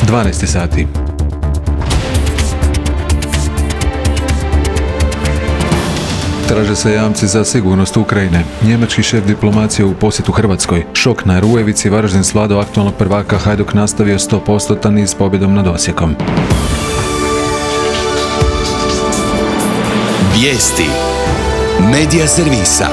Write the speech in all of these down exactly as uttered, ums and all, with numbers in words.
dvanaest sati. Traže se jamci za sigurnost Ukrajine. Njemački šef diplomacije u posjetu Hrvatskoj. Šok na Rujevici, Varaždin svladao aktualnog prvaka, Hajduk nastavio sto posto niz pobjedom nad Osijekom. Vijesti Medija servisa.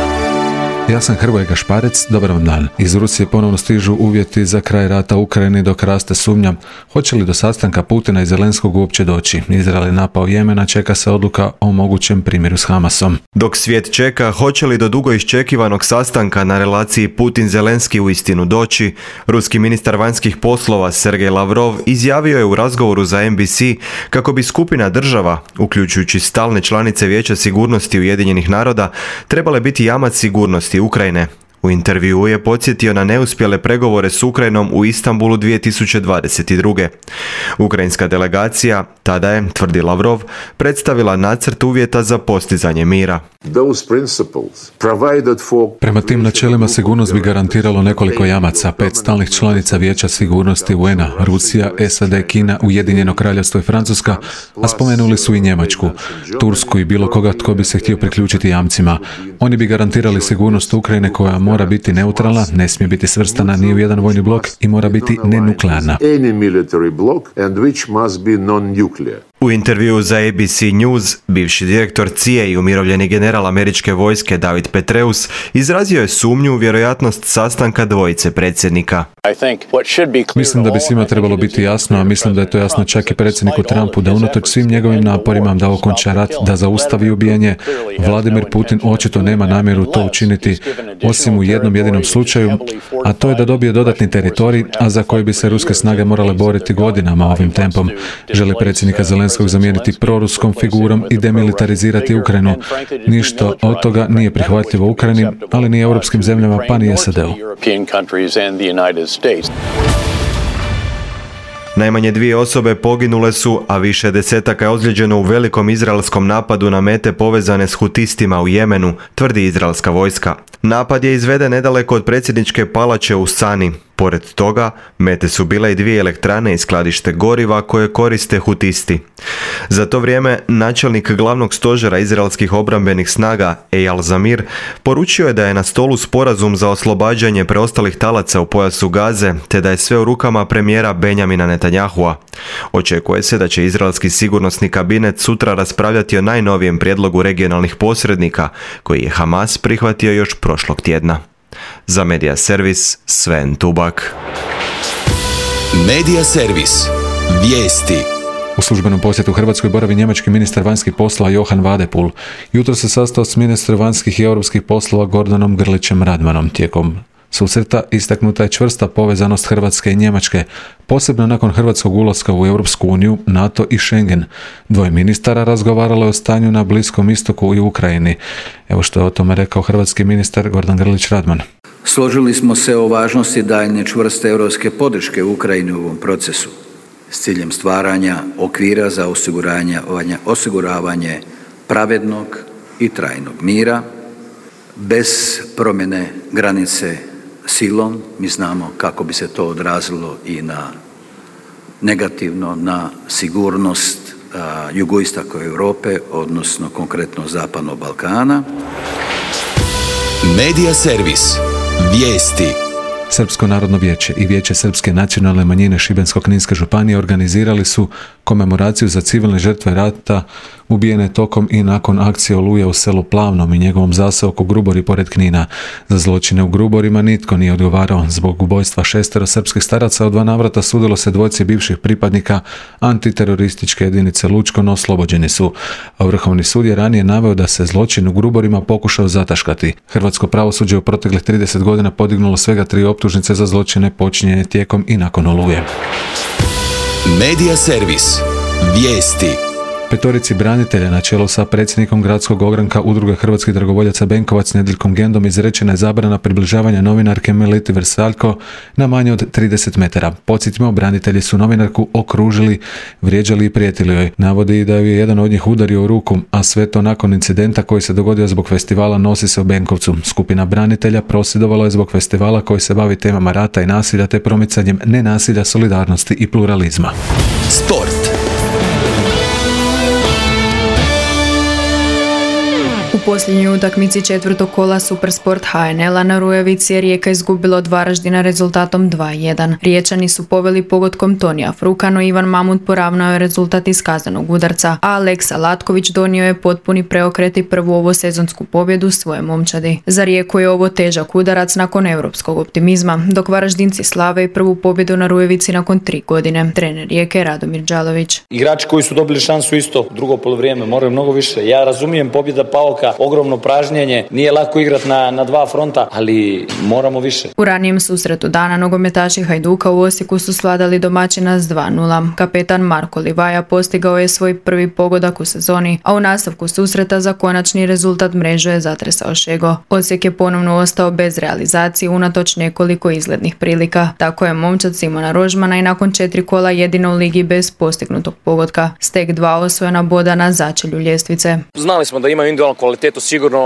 Ja sam Hrvoje Gašparec, dobar vam dan. Iz Rusije ponovno stižu uvjeti za kraj rata u Ukrajini, dok raste sumnja hoće li do sastanka Putina i Zelenskog uopće doći. Izrael je napao Jemen, a čeka se odluka o mogućem primjeru s Hamasom. Dok svijet čeka hoće li do dugo iščekivanog sastanka na relaciji Putin-Zelenski uistinu doći, ruski ministar vanjskih poslova Sergej Lavrov izjavio je u razgovoru za en bi si kako bi skupina država, uključujući stalne članice Vijeća sigurnosti Ujedinjenih naroda, trebale biti jamac sigurnosti Ukrajine. U intervjuu je podsjetio na neuspjele pregovore s Ukrajinom u Istanbulu dvije tisuće dvadeset druge. Ukrajinska delegacija, tada je, tvrdi Lavrov, predstavila nacrt uvjeta za postizanje mira. Prema tim načelima sigurnost bi garantiralo nekoliko jamaca, pet stalnih članica Vijeća sigurnosti u en a, Rusija, es a de, Kina, Ujedinjeno kraljevstvo i Francuska, a spomenuli su i Njemačku, Tursku i bilo koga tko bi se htio priključiti jamcima. Oni bi garantirali sigurnost Ukrajine koja mora biti neutralna, ne smije biti svrstana ni u jedan vojni blok i mora biti nenuklearna. U intervjuu za a be ce News, bivši direktor C I A i umirovljeni general američke vojske David Petraeus izrazio je sumnju u vjerojatnost sastanka dvojice predsjednika. Mislim da bi svima trebalo biti jasno, a mislim da je to jasno čak i predsjedniku Trumpu, da unatoč svim njegovim naporima da okonča rat, da zaustavi ubijanje, Vladimir Putin očito nema namjeru to učiniti, osim u jednom jedinom slučaju, a to je da dobije dodatni teritorij, a za koji bi se ruske snage morale boriti godinama ovim tempom. Želi predsjednika Zelenskog zamijeniti proruskom figurom i demilitarizirati Ukrajinu. Ništa od toga nije prihvatljivo Ukrajini, ali ni europskim zemljama, pa ni es a de-u. Najmanje dvije osobe poginule su, a više desetaka je ozlijeđeno u velikom izraelskom napadu na mete povezane s hutistima u Jemenu, tvrdi izraelska vojska. Napad je izveden nedaleko od predsjedničke palače u Sani. Pored toga, mete su bile i dvije elektrane i skladište goriva koje koriste hutisti. Za to vrijeme, načelnik glavnog stožera izraelskih obrambenih snaga, Eyal Zamir, poručio je da je na stolu sporazum za oslobađanje preostalih talaca u pojasu Gaze, te da je sve u rukama premijera Benjamina Netanyahua. Očekuje se da će izraelski sigurnosni kabinet sutra raspravljati o najnovijem prijedlogu regionalnih posrednika, koji je Hamas prihvatio još prošlog tjedna. Za Medija servis, Sven Tubak. Medija servis. Vijesti. U službenom posjetu Hrvatskoj boravi njemački ministar vanjskih poslova Johan Vadepul. Jutro se sastao s ministrom vanjskih i europskih poslova Gordanom Grlićem Radmanom. Tijekom susreta istaknuta je čvrsta povezanost Hrvatske i Njemačke, posebno nakon hrvatskog ulaska u Europsku uniju, NATO i Schengen. Dvoje ministara razgovaralo je o stanju na Bliskom istoku i Ukrajini. Evo što je o tome rekao hrvatski ministar Gordan Grlić Radman. Složili smo se o važnosti daljnje čvrste europske podrške Ukrajini u ovom procesu s ciljem stvaranja okvira za osiguranje, osiguravanje pravednog i trajnog mira bez promjene granice silom. Mi znamo kako bi se to odrazilo i na negativno na sigurnost a, jugoistoka Europe, odnosno konkretno Zapadnog Balkana. Medija servis. Vijesti. Srpsko narodno vijeće i Vijeće srpske nacionalne manjine Šibensko-kninske županije organizirali su komemoraciju za civilne žrtve rata ubijene tokom i nakon akcije Oluja u selu Plavnom i njegovom zaseoku Grubori pored Knina. Za zločine u Gruborima nitko nije odgovarao. Zbog ubojstva šestero srpskih staraca u dva navrata sudilo se dvojci bivših pripadnika antiterorističke jedinice Lučko, no oslobođeni su. A Vrhovni sud je ranije naveo da se zločin u Gruborima pokušao zataškati. Hrvatsko pravosuđe u proteklih trideset godina podignulo svega tri optužnice za zločine počinjene tijekom i nakon Oluje. Medija servis. Vijesti. Petorici branitelja na čelu sa predsjednikom gradskog ogranka Udruge hrvatskih dragovoljaca Benkovac Nediljkom Gendom izrečena je zabrana približavanja novinarke Meliti Vrsaljko na manje od trideset metara. Podsjetimo, branitelji su novinarku okružili, vrijeđali i prijetili joj. Navodi da ju je jedan od njih udario u ruku, a sve to nakon incidenta koji se dogodio zbog festivala Nosi se u Benkovcu. Skupina branitelja prosvjedovala je zbog festivala koji se bavi temama rata i nasilja te promicanjem nenasilja, solidarnosti i pluralizma. Sport. U posljednjoj utakmici četvrtog kola Supersport H N L-a na Rujevici je Rijeka izgubila od Varaždina rezultatom dva jedan. Riječani su poveli pogodkom Tonija Fruka, no Ivan Mamut poravnao je rezultat iz kaznenog udarca, a Aleksa Latković donio je potpuni preokret i prvu ovosezonsku pobjedu svoje momčadi. Za Rijeku je ovo težak udarac nakon europskog optimizma, dok Varaždinci slave i prvu pobjedu na Rujevici nakon tri godine. Trener Rijeke Radomir Đalović. Igrači koji su dobili šansu isto drugo polovrijeme moraju mnogo više. Ja razumijem pobjeda Pauka, ogromno pražnjenje, nije lako igrati na, na dva fronta, ali moramo više. U ranijem susretu dana nogometaši Hajduka u Osijeku su svladali domaćina s dva nula. Kapetan Marko Livaja postigao je svoj prvi pogodak u sezoni, a u nastavku susreta za konačni rezultat mrežu je zatresao Šego. Osijek je ponovno ostao bez realizacije unatoč nekoliko izglednih prilika. Tako je momčad Simona Rožmana i nakon četiri kola jedino u ligi bez postignutog pogotka. Stek dva osvojena boda na začelju ljestvice. Znali smo da imaju individualnu kvalitetu, sigurno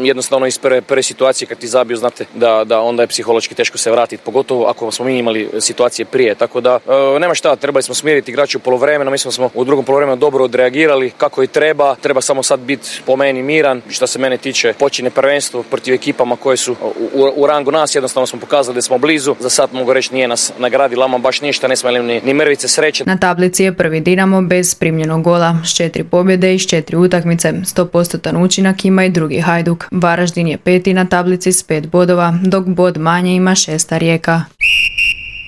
jednostavno iz prve, prve situacije kad ti zabiju, znate da, da onda je psihološki teško se vratiti, pogotovo ako smo mi imali situacije prije, tako da e, nema šta, trebali smo smiriti igrače u poluvremenu, mislim da smo u drugom poluvremenu dobro odreagirali kako i treba, treba samo sad biti po meni miran, što se mene tiče počinje prvenstvo protiv ekipama koje su u, u rangu nas, jednostavno smo pokazali da smo blizu, za sad mogu reći nije nas nagradila ama baš ništa, ne smo imali ni, ni mrvice sreće. Na tablici je prvi Dinamo bez primljenog gola, s četiri pobjede i s četiri utakmice, sto posto učinak ima i drugi Hajduk. Varaždin je peti na tablici s pet bodova, dok bod manje ima šesta Rijeka.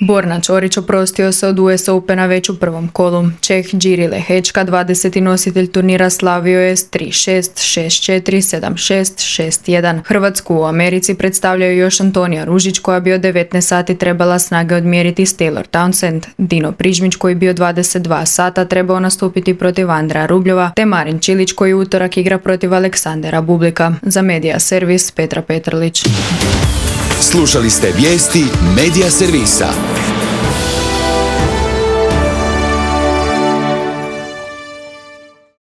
Borna Ćorić oprostio se od U S Opena već u prvom kolu. Čeh Điri Lehečka, dvadeseti nositelj turnira, slavio je s tri šest, šest četiri, sedam šest, šest jedan. Hrvatsku u Americi predstavljaju još Antonija Ružić koja bi od devetnaest sati trebala snage odmjeriti s Taylor Townsend, Dino Prižmić koji bi od dvadeset dva sata trebao nastupiti protiv Andreja Rubljova, te Marin Čilić koji utorak igra protiv Aleksandera Bublika. Za Medija Servis Petra Petrlić. Slušali ste vijesti Medija Servisa.